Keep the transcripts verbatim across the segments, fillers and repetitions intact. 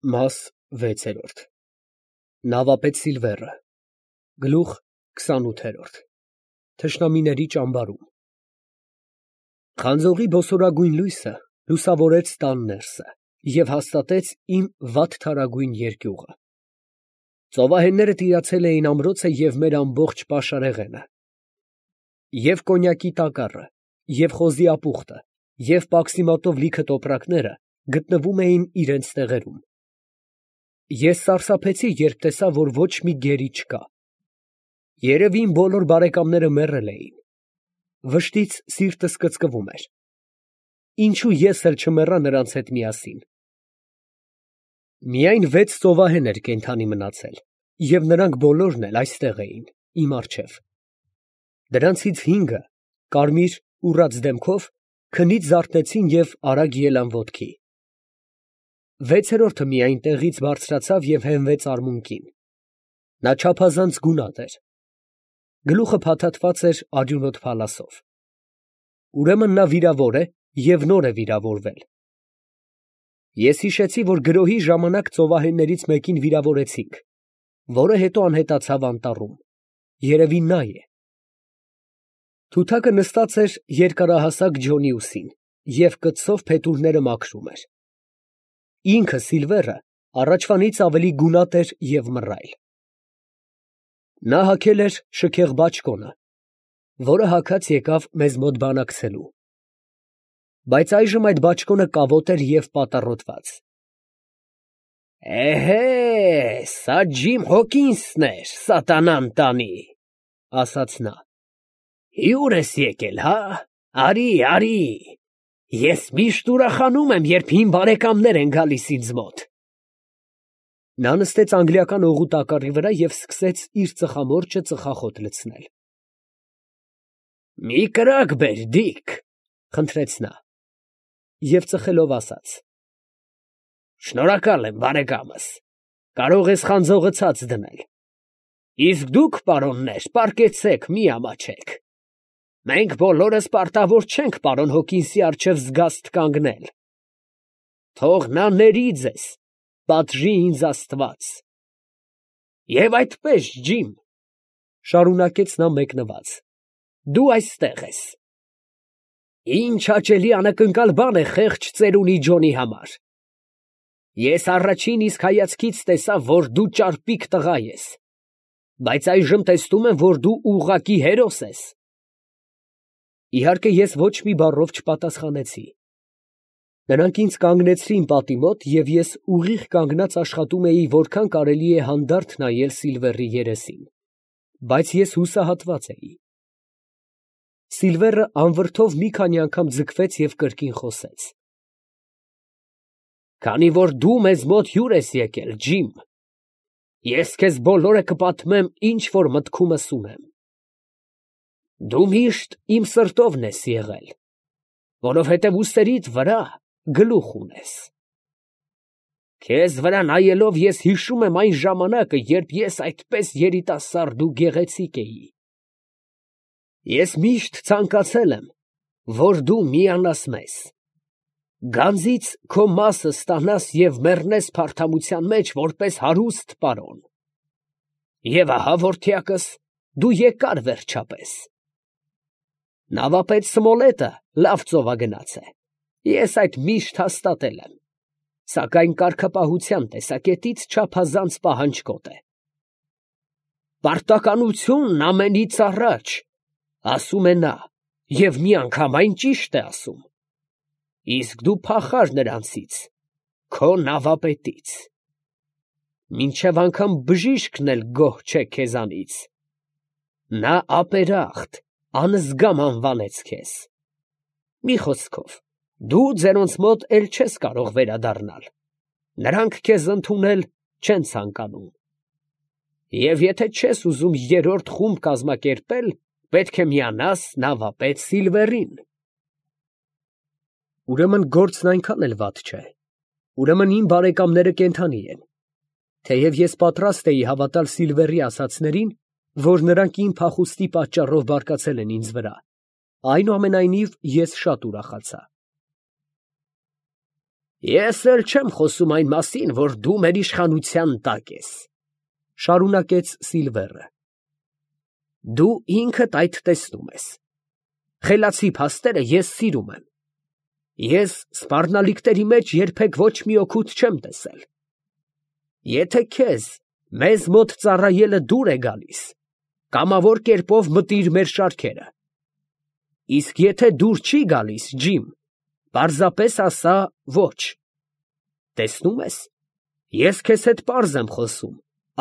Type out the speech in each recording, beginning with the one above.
Մաս վեցերորդ Նավապետ Սիլվերը Գլուխ քսանութերորդ Թշնամիների ճամբարում Խանձողի բոսորագույն լույսը լուսավորեց տան ներսը և հաստատեց իմ վատթարագույն երկյուղը։ Ծովահենները տիրացել էին ամրոցը և մեր ամբողջ պաշարեղենը, և կոնյակի տակառը, և խոզի ապուխտը, և պաքսիմատով լիքը տոպրակները գտնվում էին իրենց տեղերում։ Ես սարսափեցի, երբ տեսա, որ ոչ մի գերի չկա։ Երևի իմ բոլոր բարեկամները մեռել էին։ Վշտից սիրտս կծկվում էր։ Ինչո՞ւ ես էլ չմեռա նրանց հետ միասին։ Միայն վեց ծովահեն էր կենդանի մնացել, և նրանք բոլորն էլ այստեղ էին, իմ առջև։ Դրանցից հինգը, կարմիր ուռած դեմքով, քնից զարթնեցին և արագ ելան ոտքի։ Վեցերորդը միայն տեղից բարձրացավ և հենվեց արմունկին։ Նա չափազանց գունատ էր։ Գլուխը փաթաթված էր արյունոտ փալասով։ Ուրեմն նա վիրավոր է և նոր է վիրավորվել։ Ես հիշեցի, որ գրոհի ժամանակ ծովահեններից մեկին վիրավորեցինք, որը հետո անհետացավ անտառում։ Երևի նա է։ Թութակը նստած էր երկարահասակ ջոնի ուսին և կծով փետուրները մաքրում էր։ Ինքը Սիլվերը առաջվանից ավելի գունատ էր և մռայլ։ Նա հագել էր շքեղ բաճկոնը, որը հագած եկավ մեզ մոտ բանակցելու։ Բայց այժմ այդ բաճկոնը կավոտ էր և պատառոտված։ «Էհե, սա Ջիմ Հոքինսն էր, սատանան տանի», ֊ ասաց նա։ «Հի՞ուր ես եկել, հա, արի, արի, ես միշտ ուրախանում եմ, երբ հին բարեկամներ են գալիս ինձ մոտ»։ Նա նստեց անգլիական օղու տակառի վրա և սկսեց իր ծխամորճը ծխախոտ լցնել։ «Մի կրակ բեր, Դիք», ֊ խնդրեց նա։ Եվ ծխելով ասաց. «Շնորհակալ եմ, բարեկամս, կարող ես խանձողը ցած դնել։ Իսկ դուք, պարոններ, պառկեցեք, մի ամաչեք։ Մենք բոլորս պարտավոր չենք պարոն Հոքինսի առջև զգաստ կանգնել։ Թող նա ների ձեզ, պատժի ինձ Աստված։ Եվ այդպես, Ջիմ, ֊ շարունակեց նա մեկնված, ֊ դու այստեղ ես։ Ինչ հաճելի անակնկալ բան է խեղճ ծերունի Ջոնի համար։ Ես առաջին իսկ հայացքից տեսա, որ դու ճարպիկ տղա ես, բայց այժմ տեսնում եմ, որ դու ուղղակի հերոս ես։ Իհարկե ես ոչ մի բառով չպատասխանեցի։ Նրանք ինձ կանգնեցրին պատի մոտ, և ես ուղիղ կանգնած աշխատում էի որքան կարելի է հանդարտ նայել Սիլվերի երեսին, բայց ես հուսահատված էի։ Սիլվերը անվրդով մի քանի անգամ ձգվեց և կրկին խոսեց. «Քանի որ դու մեզ մոտ հյուր ես եկել, Ջիմ, ես քեզ բոլորը կպատմեմ, ինչ որ մտքումս ունեմ։ Դու միշտ իմ սրտովն ես եղել, որովհետև ուսերիդ վրա գլուխ ունես։ Քեզ վրա նայելով ես հիշում եմ այն ժամանակը, երբ ես այդպես երիտասարդ ու գեղեցիկ էի։ Ես միշտ ցանկացել եմ, որ դու միանաս մեզ, գանձից քո մասը ստանաս և մեռնես փարթամության մեջ որպես հարուստ պարոն։ Եվ ահա, որդյակս, դու եկար վերջապես։ Նավապետ Սմոլետը լավ ծովագնաց է, ես այդ միշտ հաստատել եմ, սակայն կարգապահության տեսակետից չափազանց պահանջկոտ է։ Պարտականությունն ամենից առաջ, ասում է նա, և միանգամայն ճիշտ է ասում։ Իսկ դու փախար նրանցից, քո նավապետից։ Մինչև անգամ բժիշկն էլ գոհ չէ քեզանից։ Նա ապերախտ, անզգամ անվանեց քեզ։ Մի խոսքով, դու ձերոնց մոտ էլ չես կարող վերադառնալ, նրանք քեզ ընդունել չեն ցանկանում։ Եվ եթե չես ուզում երրորդ խումբ կազմակերպել, պետք է միանաս նավապետ Սիլվերին։ Ուրեմն գործն այնքան էլ վատ չէ։ Ուրեմն իմ բարեկամները կենդանի են։ Թեև ես պատրաստ էի հավատալ Սիլվերի ասածներին, որ նրանք իմ փախուստի պատճառով բարկացել են ինձ վրա, այնուամենայնիվ ես շատ ուրախացա։ Ես էլ չեմ խոսում այն մասին, որ դու մեր իշխանության տակ ես, շարունակեց Սիլվերը։ Դու ինքդ այդ տեսնում ես։ Խելացի փաստերը ես սիրում եմ։ Ես սպառնալիքների մեջ երբեք ոչ մի օգուտ չեմ տեսել։ Եթե քեզ մեզ մոտ ծառայելը դուր է գալիս, կամավոր կերպով մտիր մեր շարքերը։ Իսկ եթե դուր չի գալիս, Ջիմ, պարզապես ասա ոչ։ Տեսնում ես, ես քեզ հետ պարզ եմ խոսում,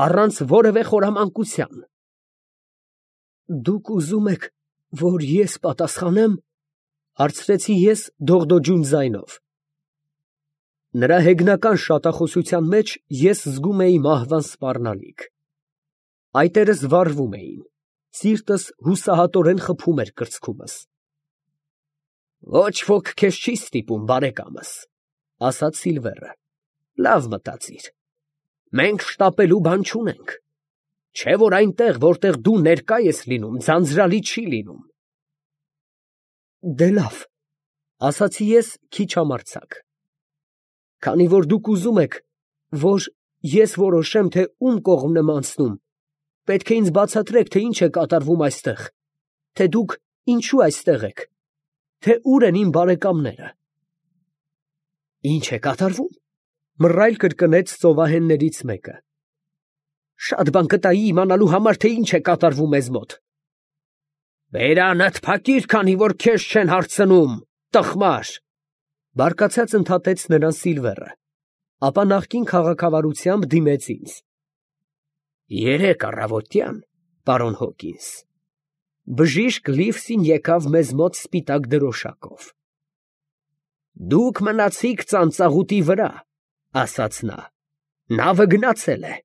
առանց որևէ խորամանկության։ Դուք ուզում եք, որ ես պատասխանեմ, հարցրեցի ես դողդոջուն ձայնով։ Նրա հեգնական շատախոսության մեջ ես զգում էի մահվան սպառնալիք։ Այտերս վառվում էին, սիրտս հուսահատորեն խփում էր կրծքումս։ Ոչ ոք քեզ չի ստիպում, բարեկամս, ասաց Սիլվերը, լավ մտածիր, մենք շտապելու բան չունենք, չէ որ այնտեղ, որտեղ դու ներկա ես լինում, ձանձրալի չի լինում։ Դե լավ, ասացի ես քիչ համարձակ, քանի որ դուք ուզում եք, որ ես որոշեմ, թե ում կողմն եմ անցնում, պետք է ինձ բացատրեք, թե ինչ է կատարվում այստեղ, թե դուք ինչու այստեղ եք, թե ուր են իմ բարեկամները։ Ինչ է կատարվում, մռայլ կրկնեց ծովահեններից մեկը։ Շատ բան կտայի իմանալու համար, թե ինչ է կատարվում մեզ մոտ։ Բերանդ փակիր, քանի որ քեզ չեն հարցնում, տխմար, բարկացած ընդհատեց նրան Սիլվերը, ապա նախկին քաղաքավարությամբ դիմեց ինձ։ Երեկ առավոտյան, պարոն Հոկինս, բժիշկ Լիվսին եկավ մեզ մոտ սպիտակ դրոշակով։ Դուք մնացիք ծանծաղուտի վրա, ասաց նա, նավը գնացել է։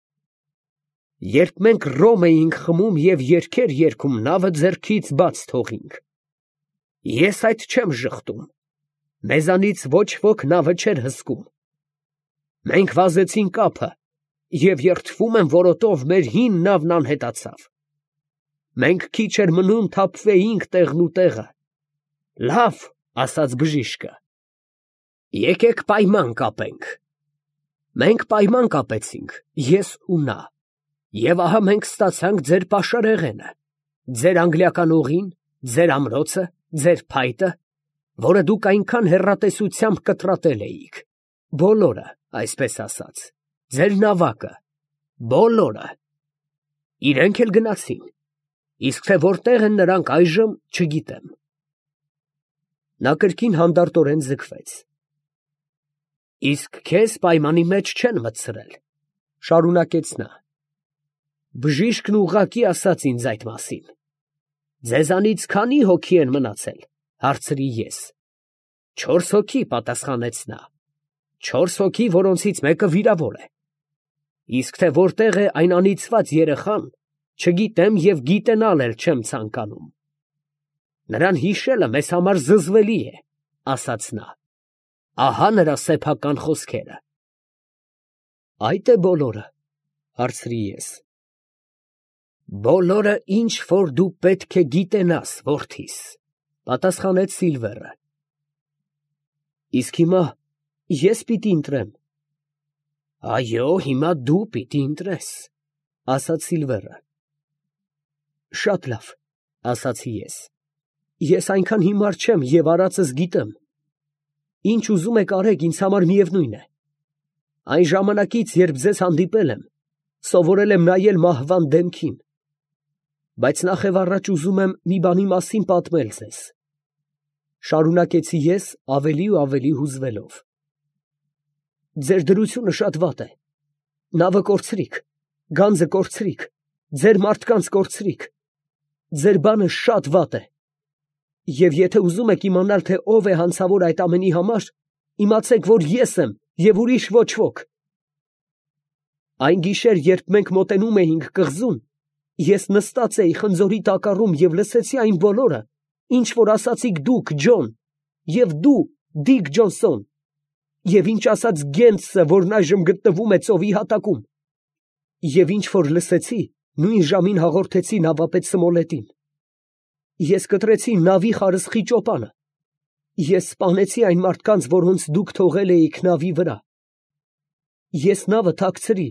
Երբ մենք ռոմ էինք խմում և երգեր երգում, նավը ձեռքից բաց թողինք։ Ես այդ չեմ ժխտում, մեզանից ոչ ոք նավը չէր հսկում։ Մենք վազեցինք ափը, և երդվում եմ որոտով մեր հին նավն անհետացավ։ Մենք քիչ էր մնում թափվեինք տեղնուտեղը։ Լավ, ասաց բժիշկը, եկեք պայման կապենք։ Մենք պայման կապեցինք, ես ու նա, և ահա մենք ստացանք ձեր պաշարեղենը, ձեր անգլիական ուղին, ձեր ամրոցը, ձեր փայտը, որը դուք այնքան հեռատեսությամբ կտրատել էիք, բոլորը, այսպես ասած, ձեր նավակը, բոլորը։ Իրենք էլ գնացին, իսկ թե որտեղ են նրանք այժմ, չգիտեմ։ Նա կրկին հանդարտորեն ձգվեց։ Իսկ քեզ պայմանի մեջ չեն մտցրել, շարունակեց նա։ Բժիշկն ուղղակի ասաց ինձ այդ մասին։ Ձեզանից քանի հոգի են մնացել, հարցրի ես։ Չորս հոգի, պատասխանեց նա։ Չորս հոգի, որոնցից մեկը վիրավոր է։ Իսկ թե որտեղ է այն անիծված երեխան, չգիտեմ և գիտենալ էլ չեմ ցանկանում։ Նրան հիշելը մեզ համար զզվելի է, ասաց նա։ Ահա նրա սեփական խոսքերը։ Այդ է բոլորը, հարցրի ես։ Բոլորը, ինչ որ դու պետք է գիտենաս, որդիս, պատասխանեց Սիլվերը։ Իսկ հիմա ես պիտի ընտրեմ։ Այո, հիմա դու պիտի ընտրես, ասաց Սիլվերը։ Շատ լավ, ասացի ես։ Ես այնքան հիմար չեմ և արածս գիտեմ։ Ինչ ուզում եք արեք, ինձ համար միևնույն է։ Այն ժամանակից, երբ ձեզ հանդիպել եմ, սովորել եմ նայել մահվան դեմքին։ Բայց նախ և առաջ ուզում եմ մի բանի մասին պատմել ձեզ։ Շարունակեցի ես ավելի ու ավելի հուզվելով։ Ձեր դրությունը շատ վատ է։ Նավը կորցրիք, գանձը կորցրիք, ձեր մարդկանց կորցրիք։ Ձեր բանը շատ վատ է։ Եվ եթե ուզում եք իմանալ, թե ով է հանցավոր այդ ամենի համար, իմացեք, որ ես եմ և ուրիշ ոչ ոք։ Այն գիշեր, երբ մենք մոտենում էինք կղզուն, ես նստած էի խնձորի տակառում և լսեցի այն բոլորը, ինչ որ ասացիք դուք, Ջոն, և դու, Դիկ Ջոնսոն, և ինչ ասաց Գենտսը, որն այժմ գտնվում է ծովի հատակում, և ինչ որ լսեցի, նույն ժամին հաղորդեցի նավապետ Սմոլետին։ Ես կտրեցի նավի խարսխի ճոպանը, Ես սպանեցի այն մարդկանց, որոնց դուք թողել էիք նավի վրա։ Ես նավը թաքցրի,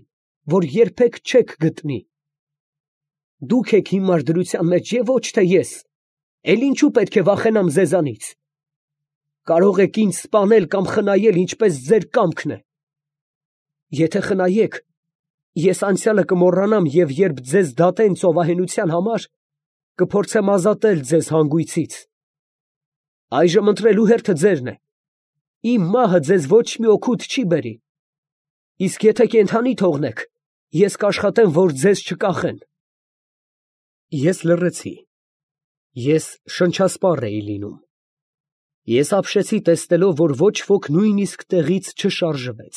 որ երբեք չեք գտնի։ Դուք եք հիմար դրության մեջ և ոչ թե ես, էլ ինչու պետք է վախենամ ձեզանից։ Կարող եք ինձ սպանել կամ խնայել, ինչպես ձեր կամքն է։ Եթե խնայեք, ես անցյալը կմոռանամ և երբ ձեզ դատեն ծովահենության համար, կփորձեմ ազատել ձեզ հանգույցից։ Այժմ ընտրելու հերթը ձերն է. իմ մահը ձեզ ոչ մի օգուտ չի բերի, իսկ եթե կենդանի թողնեք, ես կաշխատեմ, որ ձեզ չկախեն։ Ես լռեցի. ես շնչասպառ էի լինում։ Ես ապշեցի, տեսնելով, որ ոչ ոք նույնիսկ տեղից չշարժվեց։